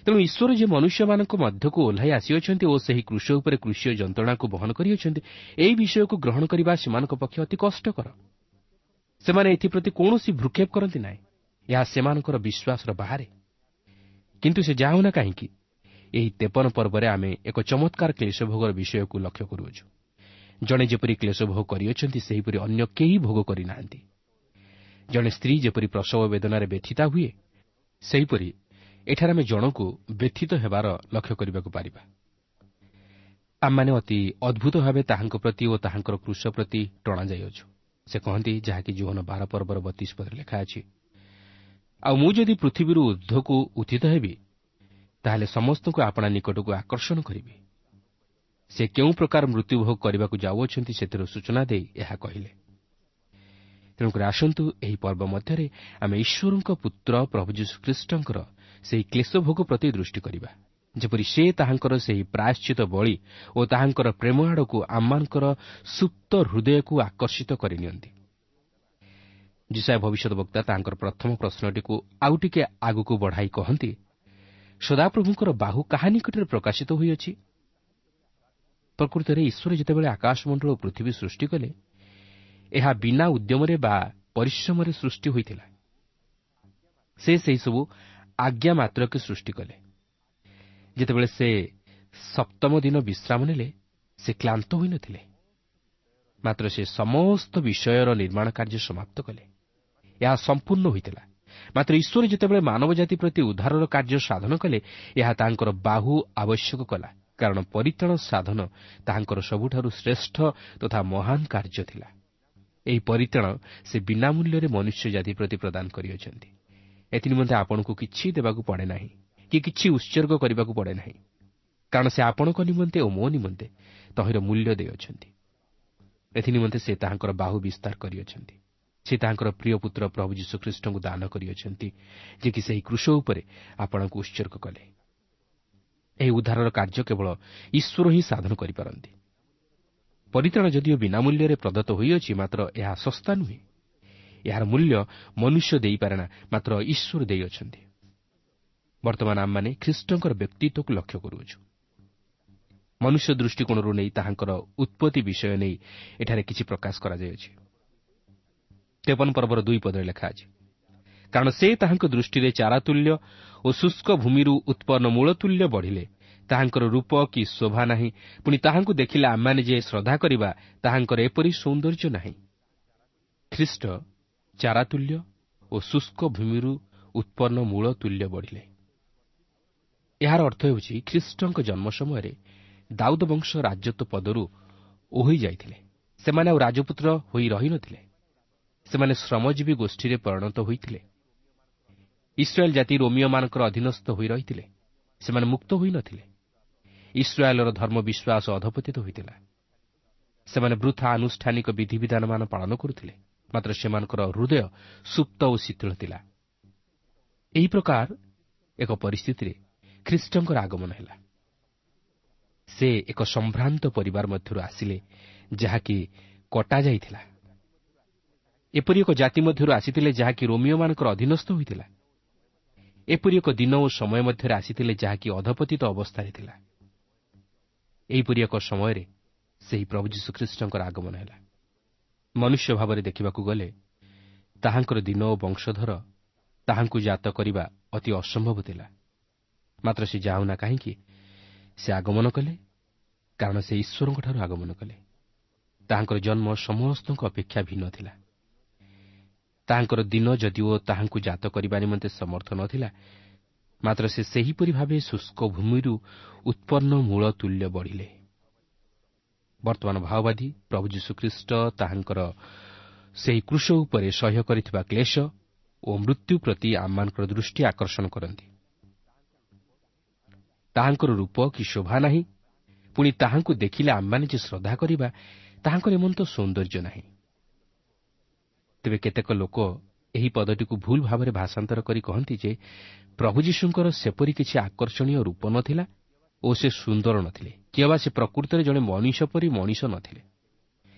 ତେଣୁ ଈଶ୍ୱର ଯେ ମନୁଷ୍ୟମାନଙ୍କ ମଧ୍ୟକୁ ଓହ୍ଲାଇ ଆସିଅଛନ୍ତି ଓ ସେହି କୃଷ ଉପରେ କୃଷୀୟ ଯନ୍ତ୍ରଣାକୁ ବହନ କରିଅଛନ୍ତି, ଏହି ବିଷୟକୁ ଗ୍ରହଣ କରିବା ସେମାନଙ୍କ ପକ୍ଷେ ଅତି କଷ୍ଟକର। ସେମାନେ ଏଥିପ୍ରତି କୌଣସି ଭ୍ରୂକ୍ଷେପ କରନ୍ତି ନାହିଁ। ଏହା ସେମାନଙ୍କର ବିଶ୍ୱାସର ବାହାରେ। କିନ୍ତୁ ସେ ଯାହା ହେଉନା କାହିଁକି, ଏହି 53 ପର୍ବରେ ଆମେ ଏକ ଚମତ୍କାର କ୍ଲେଶଭୋଗର ବିଷୟକୁ ଲକ୍ଷ୍ୟ କରୁଅଛୁ। ଜଣେ ଯେପରି କ୍ଲେଶଭୋଗ କରିଅଛନ୍ତି, ସେହିପରି ଅନ୍ୟ କେହି ଭୋଗ କରିନାହାନ୍ତି। ଜଣେ ସ୍ତ୍ରୀ ଯେପରି ପ୍ରସବ ବେଦନାରେ ବ୍ୟଥିତା ହୁଏ, ସେହିପରି ଏଠାରେ ଆମେ ଜଣକୁ ବ୍ୟଥିତ ହେବାର ଲକ୍ଷ୍ୟ କରିବାକୁ ପାରିବା। ଆମମାନେ ଅତି ଅଦ୍ଭୁତ ଭାବେ ତାହାଙ୍କ ପ୍ରତି ଓ ତାହାଙ୍କର କୃଷ ପ୍ରତି ଟଣାଯାଇଅଛୁ। ସେ କହନ୍ତି, ଯାହାକି ଯୋହନ 12 ପର୍ବର 32 ପଦରେ ଲେଖା ଅଛି, ଆଉ ମୁଁ ଯଦି ପୃଥିବୀରୁ ଊର୍ଦ୍ଧ୍ୱକୁ ଉତ୍ଥିତ ହେବି, ତାହେଲେ ସମସ୍ତଙ୍କୁ ଆପଣା ନିକଟକୁ ଆକର୍ଷଣ କରିବି। ସେ କେଉଁ ପ୍ରକାର ମୃତ୍ୟୁଭୋଗ କରିବାକୁ ଯାଉଅଛନ୍ତି ସେଥିର ସୂଚନା ଦେଇ ଏହା କହିଲେ। ତେଣୁକରି ଆସନ୍ତୁ ଏହି ପର୍ବ ମଧ୍ୟରେ ଆମେ ଈଶ୍ୱରଙ୍କ ପୁତ୍ର ପ୍ରଭୁ ଯୀଶୁଖ୍ରୀଷ୍ଟଙ୍କର ସେହି କ୍ଲେଶଭୋଗ ପ୍ରତି ଦୃଷ୍ଟି କରିବା, ଯେପରି ସେ ତାହାଙ୍କର ସେହି ପ୍ରାୟଶ୍ଚିତ ବଳି ଓ ତାହାଙ୍କର ପ୍ରେମ ଆଡ଼କୁ ଆମମାନଙ୍କର ସୁପ୍ତ ହୃଦୟକୁ ଆକର୍ଷିତ କରିନିଅନ୍ତି। ଯିଶାଇୟ ଭବିଷ୍ୟତ ବକ୍ତା ତାଙ୍କର ପ୍ରଥମ ପ୍ରଶ୍ନଟିକୁ ଆଉ ଟିକେ ଆଗକୁ ବଢ଼ାଇ କହନ୍ତି, ସଦାପ୍ରଭୁଙ୍କର ବାହୁ କାହା ନିକଟରେ ପ୍ରକାଶିତ ହୋଇଅଛି? ପ୍ରକୃତରେ ଈଶ୍ୱର ଯେତେବେଳେ ଆକାଶମଣ୍ଡଳ ଓ ପୃଥିବୀ ସୃଷ୍ଟି କଲେ, ଏହା ବିନା ଉଦ୍ୟମରେ ବା ପରିଶ୍ରମରେ ସୃଷ୍ଟି ହୋଇଥିଲା। ସେ ସେହିସବୁ ଆଜ୍ଞା ମାତ୍ରକେ ସୃଷ୍ଟି କଲେ। ଯେତେବେଳେ ସେ ସପ୍ତମ ଦିନ ବିଶ୍ରାମ ନେଲେ, ସେ କ୍ଳାନ୍ତ ହୋଇନଥିଲେ, ମାତ୍ର ସେ ସମସ୍ତ ବିଷୟର ନିର୍ମାଣ କାର୍ଯ୍ୟ ସମାପ୍ତ କଲେ। ଏହା ସମ୍ପୂର୍ଣ୍ଣ ହୋଇଥିଲା। ମାତ୍ର ଈଶ୍ୱର ଯେତେବେଳେ ମାନବ ଜାତି ପ୍ରତି ଉଦ୍ଧାରର କାର୍ଯ୍ୟ ସାଧନ କଲେ, ଏହା ତାଙ୍କର ବାହୁ ଆବଶ୍ୟକ କଲା, କାରଣ ପରିତ୍ରାଣ ସାଧନ ତାହାଙ୍କର ସବୁଠାରୁ ଶ୍ରେଷ୍ଠ ତଥା ମହାନ କାର୍ଯ୍ୟ ଥିଲା। ଏହି ପରିତ୍ରାଣ ସେ ବିନା ମୂଲ୍ୟରେ ମନୁଷ୍ୟ ଜାତି ପ୍ରତି ପ୍ରଦାନ କରିଅଛନ୍ତି। ଏଥିନିମନ୍ତେ ଆପଣଙ୍କୁ କିଛି ଦେବାକୁ ପଡ଼େ ନାହିଁ କି କିଛି ଉତ୍ସର୍ଗ କରିବାକୁ ପଡ଼େ ନାହିଁ, କାରଣ ସେ ଆପଣଙ୍କ ନିମନ୍ତେ ଓ ମୋ ନିମନ୍ତେ ତହିଁର ମୂଲ୍ୟ ଦେଇଅଛନ୍ତି। ଏଥିନିମନ୍ତେ ସେ ତାହାଙ୍କର ବାହୁ ବିସ୍ତାର କରିଅଛନ୍ତି। ସେ ତାହାଙ୍କର ପ୍ରିୟ ପୁତ୍ର ପ୍ରଭୁ ଯୀଶୁଖ୍ରୀଷ୍ଟଙ୍କୁ ଦାନ କରିଅଛନ୍ତି, ଯିଏକି ସେହି କୃଷ ଉପରେ ଆପଣଙ୍କୁ ଉତ୍ସର୍ଗ କଲେ। ଏହି ଉଦ୍ଧାରର କାର୍ଯ୍ୟ କେବଳ ଈଶ୍ୱର ହିଁ ସାଧନ କରିପାରନ୍ତି। ପରିତ୍ରାଣ ଯଦିଓ ବିନା ମୂଲ୍ୟରେ ପ୍ରଦତ୍ତ ହୋଇଅଛି, ମାତ୍ର ଏହା ଶସ୍ତା ନୁହେଁ। ଏହାର ମୂଲ୍ୟ ମନୁଷ୍ୟ ଦେଇପାରେ ନା, ମାତ୍ର ଈଶ୍ୱର ଦେଇଅଛନ୍ତି। ବର୍ତ୍ତମାନ ଆମମାନେ ଖ୍ରୀଷ୍ଟଙ୍କର ବ୍ୟକ୍ତିତ୍ୱକୁ ଲକ୍ଷ୍ୟ କରୁଅଛୁ। ମନୁଷ୍ୟ ଦୃଷ୍ଟିକୋଣରୁ ନେଇ ତାହାଙ୍କର ଉତ୍ପତ୍ତି ବିଷୟ ନେଇ ଏଠାରେ କିଛି ପ୍ରକାଶ କରାଯାଇଅଛି। 53 ପର୍ବର 2 ପଦରେ ଲେଖା ଅଛି, କାରଣ ସେ ତାହାଙ୍କ ଦୃଷ୍ଟିରେ ଚାରାତୁଲ୍ୟ ଓ ଶୁଷ୍କ ଭୂମିରୁ ଉତ୍ପନ୍ନ ମୂଳତୁଲ୍ୟ ବଢ଼ିଲେ। ତାହାଙ୍କର ରୂପ କି ଶୋଭା ନାହିଁ, ପୁଣି ତାହାଙ୍କୁ ଦେଖିଲେ ଆମମାନେ ଯେ ଶ୍ରଦ୍ଧା କରିବା, ତାହାଙ୍କର ଏପରି ସୌନ୍ଦର୍ଯ୍ୟ ନାହିଁ। ଖ୍ରୀଷ୍ଟ ଚାରାତୁଲ୍ୟ ଓ ଶୁଷ୍କ ଭୂମିରୁ ଉତ୍ପନ୍ନ ମୂଳ ତୁଲ୍ୟ ବଢ଼ିଲେ। ଏହାର ଅର୍ଥ ହେଉଛି ଖ୍ରୀଷ୍ଟଙ୍କ ଜନ୍ମ ସମୟରେ ଦାଉଦ ବଂଶ ରାଜତ୍ୱ ପଦରୁ ଓହରି ଯାଇଥିଲେ। ସେମାନେ ଆଉ ରାଜପୁତ୍ର ହୋଇ ରହିନଥିଲେ। ସେମାନେ ଶ୍ରମଜୀବୀ ଗୋଷ୍ଠୀରେ ପରିଣତ ହୋଇଥିଲେ। ଇସ୍ରାଏଲ୍ ଜାତି ରୋମିଓମାନଙ୍କର ଅଧୀନସ୍ଥ ହୋଇ ରହିଥିଲେ। ସେମାନେ ମୁକ୍ତ ହୋଇନଥିଲେ। ଇସ୍ରାଏଲ୍ର ଧର୍ମ ବିଶ୍ୱାସ ଅଧପତିତ ହୋଇଥିଲା। ସେମାନେ ବୃଥା ଆନୁଷ୍ଠାନିକ ବିଧିବିଧାନମାନ ପାଳନ କରୁଥିଲେ, ମାତ୍ର ସେମାନଙ୍କର ହୃଦୟ ସୁପ୍ତ ଓ ଶିଥିଳ ଥିଲା। ଏହି ପ୍ରକାର ଏକ ପରିସ୍ଥିତିରେ ଖ୍ରୀଷ୍ଟଙ୍କର ଆଗମନ ହେଲା। ସେ ଏକ ସମ୍ଭ୍ରାନ୍ତ ପରିବାର ମଧ୍ୟରୁ ଆସିଲେ, ଯାହାକି କଟାଯାଇଥିଲା। ଏପରି ଏକ ଜାତି ମଧ୍ୟରୁ ଆସିଥିଲେ ଯାହାକି ରୋମିଓମାନଙ୍କର ଅଧୀନସ୍ଥ ହୋଇଥିଲା। ଏପରି ଏକ ଦିନ ଓ ସମୟ ମଧ୍ୟରେ ଆସିଥିଲେ ଯାହାକି ଅଧପତିତ ଅବସ୍ଥାରେ ଥିଲା। ଏହିପରି ଏକ ସମୟରେ ସେହି ପ୍ରଭୁ ଯୀଶୁଖ୍ରୀଷ୍ଟଙ୍କର ଆଗମନ ହେଲା। ମନୁଷ୍ୟ ଭାବରେ ଦେଖିବାକୁ ଗଲେ ତାହାଙ୍କର ଦିନ ଓ ବଂଶଧର ତାହାଙ୍କୁ ଜାତ କରିବା ଅତି ଅସମ୍ଭବ ଥିଲା। ମାତ୍ର ସେ ଯାଉନା କାହିଁକି ସେ ଆଗମନ କଲେ, କାରଣ ସେ ଈଶ୍ୱରଙ୍କଠାରୁ ଆଗମନ କଲେ। ତାହାଙ୍କର ଜନ୍ମ ସମସ୍ତଙ୍କ ଅପେକ୍ଷା ଭିନ୍ନ ଥିଲା। ତାହାଙ୍କର ଦିନ ଯଦିଓ ତାହାଙ୍କୁ ଜାତ କରିବା ନିମନ୍ତେ ସମର୍ଥ ନଥିଲା, ମାତ୍ର ସେ ସେହିପରି ଭାବେ ଶୁଷ୍କ ଭୂମିରୁ ଉତ୍ପନ୍ନ ମୂଳ ତୁଲ୍ୟ ବଢ଼ିଲେ। ବର୍ତ୍ତମାନ ଭାଓବାଦୀ ପ୍ରଭୁ ଯୀଶୁଖ୍ରୀଷ୍ଟ ତାହାଙ୍କର ସେହି କୃଷ ଉପରେ ସହ୍ୟ କରିଥିବା କ୍ଲେଶ ଓ ମୃତ୍ୟୁ ପ୍ରତି ଆମମାନଙ୍କର ଦୃଷ୍ଟି ଆକର୍ଷଣ କରନ୍ତି। ତାହାଙ୍କର ରୂପ କି ଶୋଭା ନାହିଁ, ପୁଣି ତାହାଙ୍କୁ ଦେଖିଲେ ଆମମାନେ ଯେ ଶ୍ରଦ୍ଧା କରିବା, ତାହାଙ୍କର ଏମନ୍ତ ସୌନ୍ଦର୍ଯ୍ୟ ନାହିଁ। ତେବେ କେତେକ ଲୋକ ଏହି ପଦଟିକୁ ଭୁଲ ଭାବରେ ଭାଷାନ୍ତର କରି କହନ୍ତି ଯେ ପ୍ରଭୁ ଯୀଶୁଙ୍କର ସେପରି କିଛି ଆକର୍ଷଣୀୟ ରୂପ ନଥିଲା ଓ ସେ ସୁନ୍ଦର ନଥିଲେ, କିମ୍ବା ସେ ପ୍ରକୃତରେ ଜଣେ ମଣିଷ ପରି ମଣିଷ ନଥିଲେ।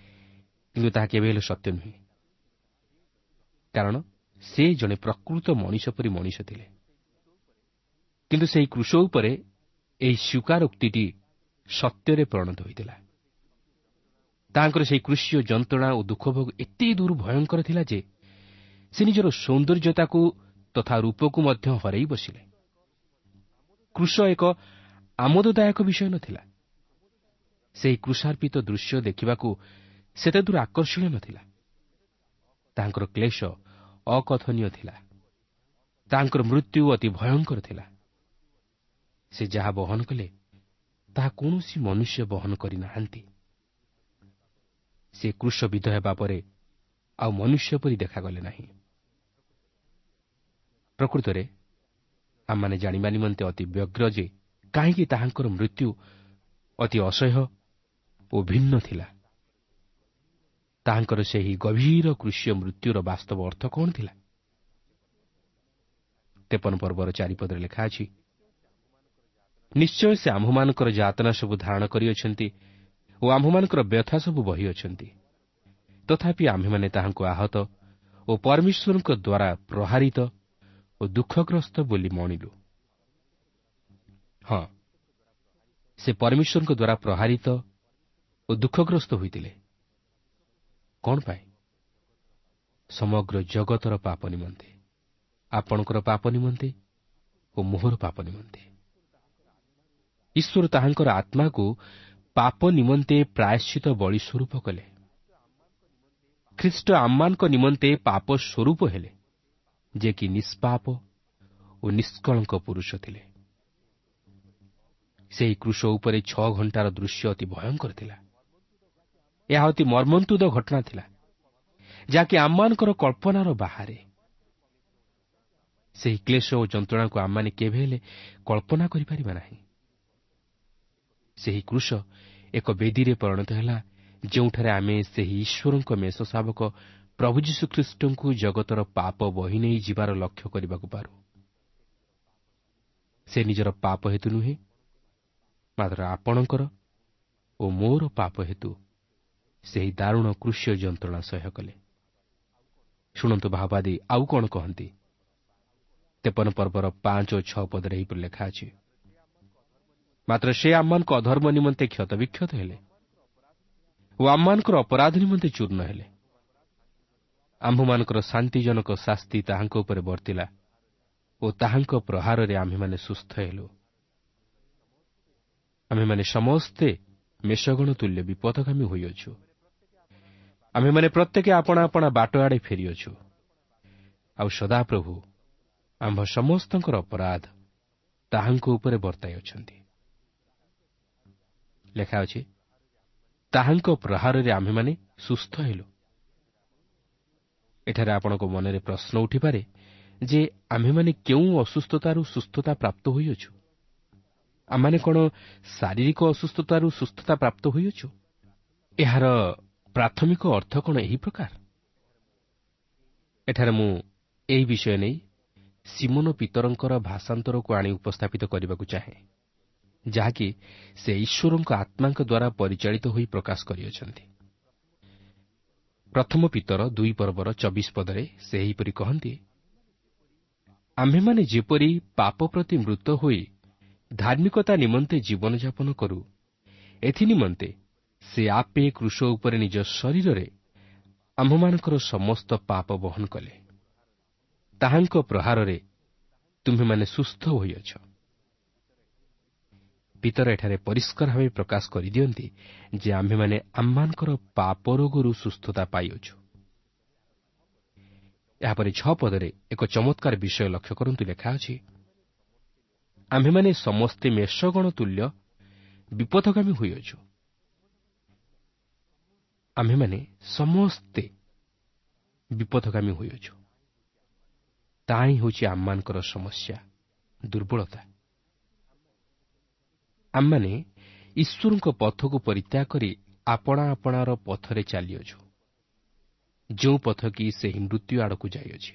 କିନ୍ତୁ ତାହା କେବେ ହେଲେ ସତ୍ୟ ନୁହେଁ, କାରଣ ସେ ଜଣେ ପ୍ରକୃତ ମଣିଷ ପରି ମଣିଷ ଥିଲେ। କିନ୍ତୁ ସେହି କୃଷ ଉପରେ ଏହି ସ୍ୱୀକାରୋକ୍ତିଟି ସତ୍ୟରେ ପରିଣତ ହୋଇଥିଲା। ତାହାଙ୍କର ସେହି କୃଷିୟ ଯନ୍ତ୍ରଣା ଓ ଦୁଃଖଭୋଗ ଏତେ ଦୂର ଭୟଙ୍କର ଥିଲା ଯେ ସେ ନିଜର ସୌନ୍ଦର୍ଯ୍ୟତାକୁ ତଥା ରୂପକୁ ମଧ୍ୟ ହରାଇ ବସିଲେ। କୃଷ ଏକ ଆମୋଦଦାୟକ ବିଷୟ ନଥିଲା। ସେହି କୃଷାର୍ପିତ ଦୃଶ୍ୟ ଦେଖିବାକୁ ସେତେ ଦୂର ଆକର୍ଷଣୀୟ ନଥିଲା। ତାହାଙ୍କର କ୍ଲେଶ ଅକଥନୀୟ ଥିଲା। ତାହାଙ୍କର ମୃତ୍ୟୁ ଅତି ଭୟଙ୍କର ଥିଲା। ସେ ଯାହା ବହନ କଲେ ତାହା କୌଣସି ମନୁଷ୍ୟ ବହନ କରିନାହାନ୍ତି। ସେ କୃଷବିଦ୍ଧ ହେବା ପରେ ଆଉ ମନୁଷ୍ୟ ପରି ଦେଖାଗଲେ ନାହିଁ। ପ୍ରକୃତରେ ଆମମାନେ ଜାଣିବା ନିମନ୍ତେ ଅତି ବ୍ୟଗ୍ର ଯେ କାହିଁକି ତାହାଙ୍କର ମୃତ୍ୟୁ ଅତି ଅସହ୍ୟ ଓ ଭିନ୍ନ ଥିଲା। ତାହାଙ୍କର ସେହି ଗଭୀର କୃଷିୟ ମୃତ୍ୟୁର ବାସ୍ତବ ଅର୍ଥ କ'ଣ ଥିଲା? 53 ପର୍ବର 4 ପଦରେ ଲେଖା ଅଛି, ନିଶ୍ଚୟ ସେ ଆମ୍ଭମାନଙ୍କର ଯାତନା ସବୁ ଧାରଣ କରିଅଛନ୍ତି ଓ ଆମ୍ଭମାନଙ୍କର ବ୍ୟଥା ସବୁ ବହିଅଛନ୍ତି, ତଥାପି ଆମ୍ଭେମାନେ ତାହାଙ୍କୁ ଆହତ ଓ ଓ ପରମେଶ୍ୱରଙ୍କ ଦ୍ୱାରା ପ୍ରହାରିତ ଓ ଦୁଃଖଗ୍ରସ୍ତ ବୋଲି ମଣିଲୁ। ହଁ, ସେ ପରମେଶ୍ୱରଙ୍କ ଦ୍ୱାରା ପ୍ରହାରିତ ଓ ଦୁଃଖଗ୍ରସ୍ତ ହୋଇଥିଲେ। କ'ଣ ପାଇଁ? ସମଗ୍ର ଜଗତର ପାପ ନିମନ୍ତେ, ଆପଣଙ୍କର ପାପ ନିମନ୍ତେ ଓ ମୋହର ପାପ ନିମନ୍ତେ। ଈଶ୍ୱର ତାହାଙ୍କର ଆତ୍ମାକୁ ପାପ ନିମନ୍ତେ ପ୍ରାୟଶ୍ଚିତ ବଳି ସ୍ୱରୂପ କଲେ। ଖ୍ରୀଷ୍ଟ ଆମମାନଙ୍କ ନିମନ୍ତେ ପାପ ସ୍ୱରୂପ ହେଲେ, ଯେ କି ନିଷ୍ପାପ ଓ ନିଷ୍କଳଙ୍କ ପୁରୁଷ ଥିଲେ। ସେହି କୃଷ ଉପରେ 6 ଘଣ୍ଟାର ଦୃଶ୍ୟ ଅତି ଭୟଙ୍କର ଥିଲା। ଏହା ଅତି ମର୍ମନ୍ତୁଦ ଘଟଣା ଥିଲା, ଯାହାକି ଆମମାନଙ୍କର କଳ୍ପନାର ବାହାରେ। ସେହି କ୍ଲେଶ ଓ ଯନ୍ତ୍ରଣାକୁ ଆମମାନେ କେବେ ହେଲେ କଳ୍ପନା କରିପାରିବା ନାହିଁ। ସେହି କୃଷ ଏକ ବେଦୀରେ ପରିଣତ ହେଲା, ଯେଉଁଠାରେ ଆମେ ସେହି ଈଶ୍ୱରଙ୍କ ମେଷ ଶାବକ ପ୍ରଭୁ ଯୀଶୁଖ୍ରୀଷ୍ଟଙ୍କୁ ଜଗତର ପାପ ବହି ନେଇ ଯିବାର ଲକ୍ଷ୍ୟ କରିବାକୁ ପାରୁ। ସେ ନିଜର ପାପ ହେତୁ ନୁହେଁ, ମାତ୍ର ଆପଣଙ୍କର ଓ ମୋର ପାପ ହେତୁ ସେହି ଦାରୁଣ କୃଷ୍ୟ ଯନ୍ତ୍ରଣା ସହ୍ୟ କଲେ। ଶୁଣନ୍ତୁ ଭାବାଦୀ ଆଉ କ'ଣ କହନ୍ତି। 53 ପର୍ବର 5 ଓ 6 ପଦରେ ଏହିପରି ଲେଖା ଅଛି, ମାତ୍ର ସେ ଆମମାନଙ୍କ ଅଧର୍ମ ନିମନ୍ତେ କ୍ଷତବିକ୍ଷତ ହେଲେ ଓ ଆମମାନଙ୍କର ଅପରାଧ ନିମନ୍ତେ ଚୂର୍ଣ୍ଣ ହେଲେ। ଆମ୍ଭମାନଙ୍କର ଶାନ୍ତିଜନକ ଶାସ୍ତି ତାହାଙ୍କ ଉପରେ ବର୍ତ୍ତିଲା ଓ ତାହାଙ୍କ ପ୍ରହାରରେ ଆମ୍ଭେମାନେ ସୁସ୍ଥ ହେଲୁ। ଆମ୍ଭେମାନେ ସମସ୍ତେ ମେଷଗଣ ତୁଲ୍ୟ ବିପଥଗାମୀ ହୋଇଅଛୁ। ଆମ୍ଭେମାନେ ପ୍ରତ୍ୟେକ ଆପଣା ଆପଣା ବାଟ ଆଡ଼େ ଫେରିଅଛୁ। ଆଉ ସଦାପ୍ରଭୁ ଆମ୍ଭ ସମସ୍ତଙ୍କର ଅପରାଧ ତାହାଙ୍କ ଉପରେ ବର୍ତ୍ତାଇ ଅଛନ୍ତି। ଲେଖା ଅଛି, ତାହାଙ୍କ ପ୍ରହାରରେ ଆମ୍ଭେମାନେ ସୁସ୍ଥ ହେଲୁ। ଏଠାରେ ଆପଣଙ୍କ ମନରେ ପ୍ରଶ୍ନ ଉଠିପାରେ ଯେ ଆମ୍ଭେମାନେ କେଉଁ ଅସୁସ୍ଥତାରୁ ସୁସ୍ଥତା ପ୍ରାପ୍ତ ହୋଇଅଛୁ? ଆମମାନେ କ'ଣ ଶାରୀରିକ ଅସୁସ୍ଥତାରୁ ସୁସ୍ଥତା ପ୍ରାପ୍ତ ହୋଇଅଛୁ? ଏହାର ପ୍ରାଥମିକ ଅର୍ଥ କ'ଣ ଏହି ପ୍ରକାର? ଏଠାରେ ମୁଁ ଏହି ବିଷୟ ନେଇ ସିମୋନ ପିତରଙ୍କର ଭାଷାନ୍ତରକୁ ଆଣି ଉପସ୍ଥାପିତ କରିବାକୁ ଚାହେଁ, ଯାହାକି ସେ ଈଶ୍ୱରଙ୍କ ଆତ୍ମାଙ୍କ ଦ୍ୱାରା ପରିଚାଳିତ ହୋଇ ପ୍ରକାଶ କରିଅଛନ୍ତି। ପ୍ରଥମ ପିତର 2 ପର୍ବର 24 ପଦରେ ସେ ଏହିପରି କହନ୍ତି, ଆମ୍ଭେମାନେ ଯେପରି ପାପ ପ୍ରତି ମୃତ ହୋଇ ଧାର୍ମିକତା ନିମନ୍ତେ ଜୀବନଯାପନ କରୁ, ଏଥିନିମନ୍ତେ ସେ ଆପେ କୃଷ ଉପରେ ନିଜ ଶରୀରରେ ଆମ୍ଭମାନଙ୍କର ସମସ୍ତ ପାପ ବହନ କଲେ। ତାହାଙ୍କ ପ୍ରହାରରେ ତୁମ୍ଭେମାନେ ସୁସ୍ଥ ହୋଇଅଛ। ପିତର ଏଠାରେ ପରିଷ୍କାର ଭାବେ ପ୍ରକାଶ କରିଦିଅନ୍ତି ଯେ ଆମ୍ଭେମାନେ ଆମମାନଙ୍କର ପାପ ରୋଗରୁ ସୁସ୍ଥତା ପାଇଅଛୁ। ଏହାପରେ 6 ପଦରେ ଏକ ଚମତ୍କାର ବିଷୟ ଲକ୍ଷ୍ୟ କରନ୍ତୁ। ଲେଖା ଅଛି, ଆମ୍ଭେମାନେ ସମସ୍ତେ ମେଷଗଣ ତୁଲ୍ୟ ବିପଥଗାମୀ ହୋଇଅଛୁ। ଆମ୍ଭେମାନେ ସମସ୍ତେ ବିପଥଗାମୀ ହୋଇଅଛୁ। ତାହା ହିଁ ହେଉଛି ଆମମାନଙ୍କର ସମସ୍ୟା, ଦୁର୍ବଳତା। ଆମମାନେ ଈଶ୍ୱରଙ୍କ ପଥକୁ ପରିତ୍ୟାଗ କରି ଆପଣା ଆପଣାର ପଥରେ ଚାଲିଅଛୁ, ଯେଉଁ ପଥ କି ସେହି ମୃତ୍ୟୁ ଆଡ଼କୁ ଯାଇଅଛି।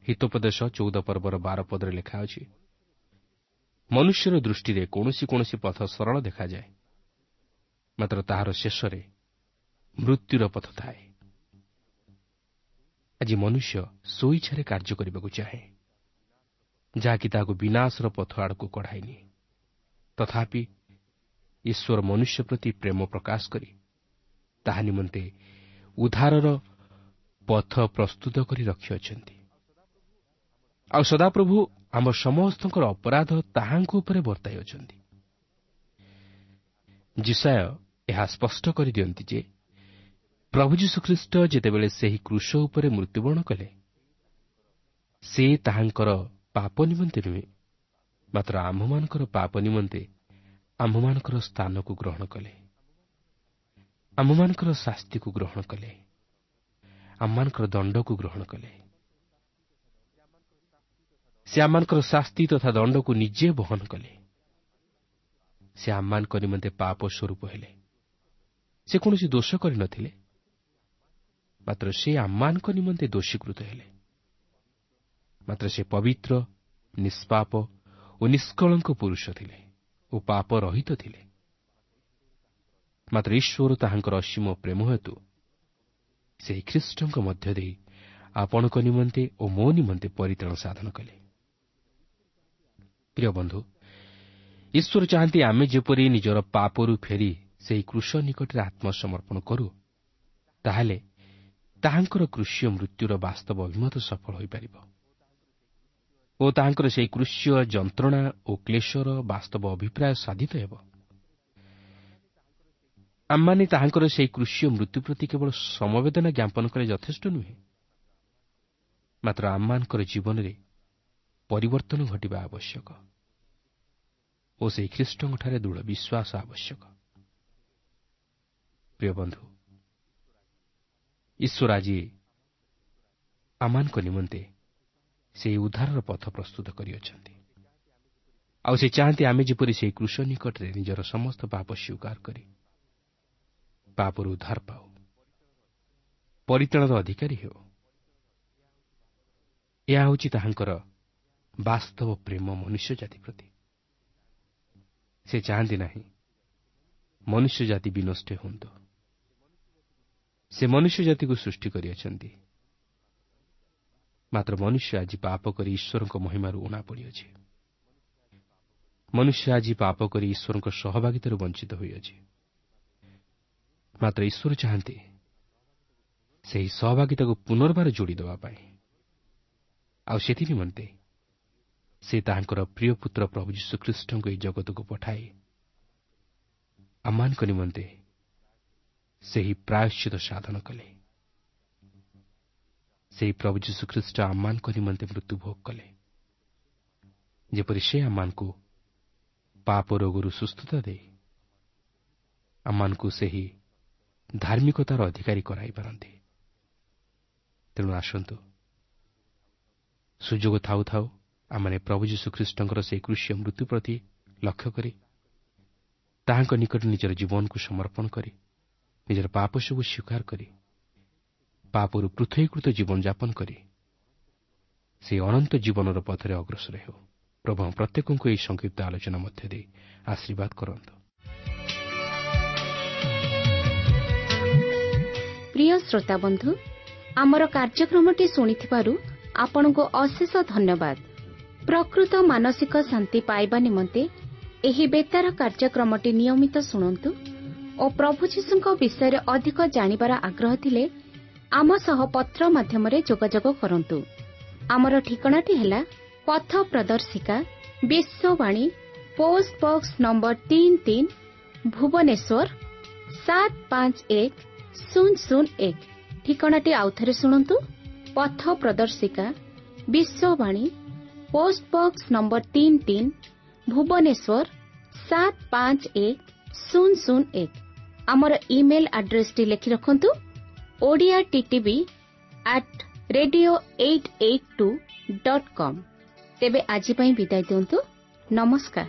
ହିତୋପଦେଶ 14 ପର୍ବର 12 ପଦରେ ଲେଖା ଅଛି, ମନୁଷ୍ୟର ଦୃଷ୍ଟିରେ କୌଣସି କୌଣସି ପଥ ସରଳ ଦେଖାଯାଏ, ମାତ୍ର ତାହାର ଶେଷରେ ମୃତ୍ୟୁର ପଥ ଥାଏ। ଆଜି ମନୁଷ୍ୟ ସ୍ୱଇଚ୍ଛାରେ କାର୍ଯ୍ୟ କରିବାକୁ ଚାହେଁ, ଯାହାକି ତାହାକୁ ବିନାଶର ପଥ ଆଡ଼କୁ କଢ଼ାଇନି। ତଥାପି ଈଶ୍ୱର ମନୁଷ୍ୟ ପ୍ରତି ପ୍ରେମ ପ୍ରକାଶ କରି ତାହା ନିମନ୍ତେ ଉଦ୍ଧାରର ପଥ ପ୍ରସ୍ତୁତ କରି ରଖିଅଛନ୍ତି। ଆଉ ସଦାପ୍ରଭୁ ଆମ ସମସ୍ତଙ୍କର ଅପରାଧ ତାହାଙ୍କ ଉପରେ ବର୍ତ୍ତାଇ ଅଛନ୍ତି। ଯିଶାଇୟ ଏହା ସ୍ପଷ୍ଟ କରିଦିଅନ୍ତି ଯେ ପ୍ରଭୁ ଯୀଶୁଖ୍ରୀଷ୍ଟ ଯେତେବେଳେ ସେହି କ୍ରୁଶ ଉପରେ ମୃତ୍ୟୁବରଣ କଲେ, ସେ ତାହାଙ୍କର ପାପ ନିମନ୍ତେ ନୁହେଁ, ମାତ୍ର ଆମ୍ଭମାନଙ୍କର ପାପ ନିମନ୍ତେ ଆମ୍ଭମାନଙ୍କର ସ୍ଥାନକୁ ଗ୍ରହଣ କଲେ, ଆମ୍ଭମାନଙ୍କର ଶାସ୍ତିକୁ ଗ୍ରହଣ କଲେ, ଆମମାନଙ୍କର ଦଣ୍ଡକୁ ଗ୍ରହଣ କଲେ। ସେ ଆମମାନଙ୍କର ଶାସ୍ତି ତଥା ଦଣ୍ଡକୁ ନିଜେ ବହନ କଲେ। ସେ ଆମମାନଙ୍କ ନିମନ୍ତେ ପାପ ସ୍ୱରୂପ ହେଲେ। ସେ କୌଣସି ଦୋଷ କରିନଥିଲେ, ମାତ୍ର ସେ ଆମମାନଙ୍କ ନିମନ୍ତେ ଦୋଷୀକୃତ ହେଲେ। ମାତ୍ର ସେ ପବିତ୍ର, ନିଷ୍ପାପ ଓ ନିଷ୍କଳଙ୍କ ପୁରୁଷ ଥିଲେ ଓ ପାପ ରହିତ ଥିଲେ। ମାତ୍ର ଈଶ୍ୱର ତାହାଙ୍କର ଅସୀମ ପ୍ରେମ ହେତୁ ସେହି ଖ୍ରୀଷ୍ଟଙ୍କ ମଧ୍ୟ ଦେଇ ଆପଣଙ୍କ ନିମନ୍ତେ ଓ ମୋ ନିମନ୍ତେ ପରିତ୍ରାଣ ସାଧନ କଲେ। ପ୍ରିୟ ବନ୍ଧୁ, ଈଶ୍ୱର ଚାହାନ୍ତି ଆମେ ଯେପରି ନିଜର ପାପରୁ ଫେରି ସେହି କୃଷ ନିକଟରେ ଆତ୍ମସମର୍ପଣ କରୁ, ତାହେଲେ ତାହାଙ୍କର କୃଷିୟ ମୃତ୍ୟୁର ବାସ୍ତବ ଅଭିମତ ସଫଳ ହୋଇପାରିବ ଓ ତାହାଙ୍କର ସେହି କୃଷ୍ୟ ଯନ୍ତ୍ରଣା ଓ କ୍ଲେଶର ବାସ୍ତବ ଅଭିପ୍ରାୟ ସାଧିତ ହେବ। ଆମମାନେ ତାହାଙ୍କର ସେହି କୃଷ୍ୟ ମୃତ୍ୟୁ ପ୍ରତି କେବଳ ସମବେଦନା ଜ୍ଞାପନ କଲେ ଯଥେଷ୍ଟ ନୁହେଁ, ମାତ୍ର ଆମମାନଙ୍କର ଜୀବନରେ ପରିବର୍ତ୍ତନ ଘଟିବା ଆବଶ୍ୟକ ଓ ସେହି ଖ୍ରୀଷ୍ଟଙ୍କଠାରେ ଦୃଢ଼ ବିଶ୍ୱାସ ଆବଶ୍ୟକ। ପ୍ରିୟ ବନ୍ଧୁ, ଈଶ୍ୱର ଆଜି ଆମମାନଙ୍କ ନିମନ୍ତେ ସେହି ଉଦ୍ଧାରର ପଥ ପ୍ରସ୍ତୁତ କରିଅଛନ୍ତି, ଆଉ ସେ ଚାହାନ୍ତି ଆମେ ଯେପରି ସେହି କୃଷ ନିକଟରେ ନିଜର ସମସ୍ତ ପାପ ସ୍ୱୀକାର କରି ପାପରୁ ଉଦ୍ଧାର ପାଉ, ପରିତ୍ରାଣର ଅଧିକାରୀ ହେଉ। ଏହା ହେଉଛି ତାହାଙ୍କର ବାସ୍ତବ ପ୍ରେମ ମନୁଷ୍ୟ ଜାତି ପ୍ରତି। ସେ ଚାହାନ୍ତି ନାହିଁ ମନୁଷ୍ୟ ଜାତି ବିନଷ୍ଟ ହୁଅନ୍ତୁ। ସେ ମନୁଷ୍ୟ ଜାତିକୁ ସୃଷ୍ଟି କରିଅଛନ୍ତି, ମାତ୍ର ମନୁଷ୍ୟ ଆଜି ପାପ କରି ଈଶ୍ୱରଙ୍କ ମହିମାରୁ ଉଣା ପଡ଼ିଅଛି। ମନୁଷ୍ୟ ଆଜି ପାପ କରି ଈଶ୍ୱରଙ୍କ ସହଭାଗିତାରୁ ବଞ୍ଚିତ ହୋଇଅଛି। ମାତ୍ର ଈଶ୍ୱର ଚାହାନ୍ତି ସେହି ସହଭାଗିତାକୁ ପୁନର୍ବାର ଯୋଡ଼ି ଦେବା ପାଇଁ, ଆଉ ସେଥି ନିମନ୍ତେ ସେ ତାହାଙ୍କର ପ୍ରିୟ ପୁତ୍ର ପ୍ରଭୁ ଯୀଶୁଖ୍ରୀଷ୍ଟଙ୍କୁ ଏହି ଜଗତକୁ ପଠାଇ ଆମମାନଙ୍କ ନିମନ୍ତେ ସେହି ପ୍ରାୟଶ୍ଚିତ ସାଧନ କଲେ। ସେହି ପ୍ରଭୁ ଯୀଶୁଖ୍ରୀଷ୍ଟ ଆମମାନଙ୍କ ନିମନ୍ତେ ମୃତ୍ୟୁଭୋଗ କଲେ, ଯେପରି ସେ ଆମମାନଙ୍କୁ ପାପ ରୋଗରୁ ସୁସ୍ଥତା ଦେଇ ଆମମାନଙ୍କୁ ସେହି ଧାର୍ମିକତାର ଅଧିକାରୀ କରାଇପାରନ୍ତି। ତେଣୁ ଆସନ୍ତୁ, ସୁଯୋଗ ଥାଉ ଥାଉ ଆମମାନେ ପ୍ରଭୁ ଯୀଶୁଖ୍ରୀଷ୍ଟଙ୍କର ସେହି କୃଷ୍ୟ ମୃତ୍ୟୁ ପ୍ରତି ଲକ୍ଷ୍ୟ କରି ତାହାଙ୍କ ନିକଟରେ ନିଜର ଜୀବନକୁ ସମର୍ପଣ କରି ନିଜର ପାପ ସବୁ ସ୍ୱୀକାର କରି ପାପରୁ ପୃଥକୀକୃତ ଜୀବନଯାପନ କରି ସେହି ଅନନ୍ତ ଜୀବନର ପଥରେ ଅଗ୍ରସର ହେଉ। ପ୍ରଭୁ ପ୍ରତ୍ୟେକଙ୍କୁ ଏହି ସଂକ୍ଷିପ୍ତ ଆଲୋଚନା ମଧ୍ୟ ଦେଇ ଆଶୀର୍ବାଦ କରନ୍ତୁ। ପ୍ରିୟ ଶ୍ରୋତାବନ୍ଧୁ, ଆମର କାର୍ଯ୍ୟକ୍ରମଟି ଶୁଣିଥିବାରୁ ଆପଣଙ୍କୁ ଅଶେଷ ଧନ୍ୟବାଦ। ପ୍ରକୃତ ମାନସିକ ଶାନ୍ତି ପାଇବା ନିମନ୍ତେ ଏହି ବେତାର କାର୍ଯ୍ୟକ୍ରମଟି ନିୟମିତ ଶୁଣନ୍ତୁ ଓ ପ୍ରଭୁ ଯୀଶୁଙ୍କ ବିଷୟରେ ଅଧିକ ଜାଣିବାର ଆଗ୍ରହ ଥିଲେ ଆମ ସହ ପତ୍ର ମାଧ୍ୟମରେ ଯୋଗାଯୋଗ କରନ୍ତୁ। ଆମର ଠିକଣାଟି ହେଲା ପଥ ପ୍ରଦର୍ଶିକା, Vishwavani, post box number 33, Bhubaneswar 751001। ଠିକଣାଟି ଆଉଥରେ ଶୁଣନ୍ତୁ, ପଥ ପ୍ରଦର୍ଶିକା, Vishwavani, post box number 33, Bhubaneswar 751001। ଆମର ଇମେଲ୍ ଆଡ୍ରେସଟି ଲେଖି ରଖନ୍ତୁ, Odia TTV @radio882.com। ତେବେ ଆଜି ପାଇଁ ବିଦାୟ ଦିଅନ୍ତୁ, ନମସ୍କାର।